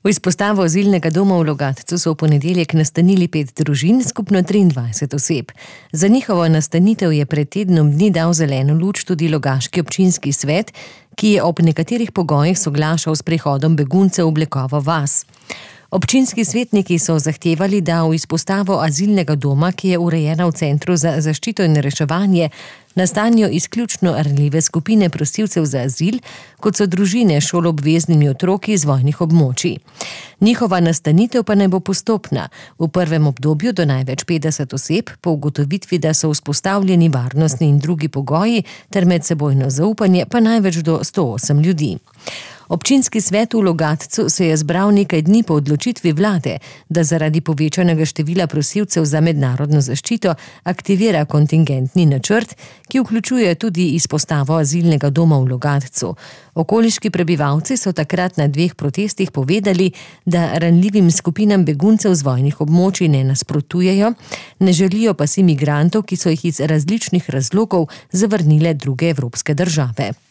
V izpostavo azilnega doma v Logatcu so v ponedeljek nastanili 5 družin, skupno 23 oseb. Za njihovo nastanitev je pred tednom dni dal zeleno luč tudi logaški občinski svet, ki je ob nekaterih pogojih soglašal s prihodom beguncev v Blekovo vas. Občinski svetniki so zahtevali, da v izpostavo azilnega doma, ki je urejena v Centru za zaščito in reševanje, nastanijo izključno ranljive skupine prosilcev za azil, kot so družine s šoloobveznimi otroki iz vojnih območij. Njihova nastanitev pa naj bo postopna, v prvem obdobju do največ 50 oseb, po ugotovitvi, da so vzpostavljeni varnostni in drugi pogoji ter medsebojno zaupanje, pa največ do 108 ljudi. Občinski svet v Logatcu se je zbral nekaj dni po odločitvi vlade, da zaradi povečanega števila prosilcev za mednarodno zaščito aktivira kontingentni načrt, ki vključuje tudi izpostavo azilnega doma v Logatcu. Okoliški prebivalci so takrat na 2 protestih povedali, da ranljivim skupinam beguncev z vojnih območij ne nasprotujejo, ne želijo pa si migrantov, ki so jih iz različnih razlogov zavrnile druge evropske države.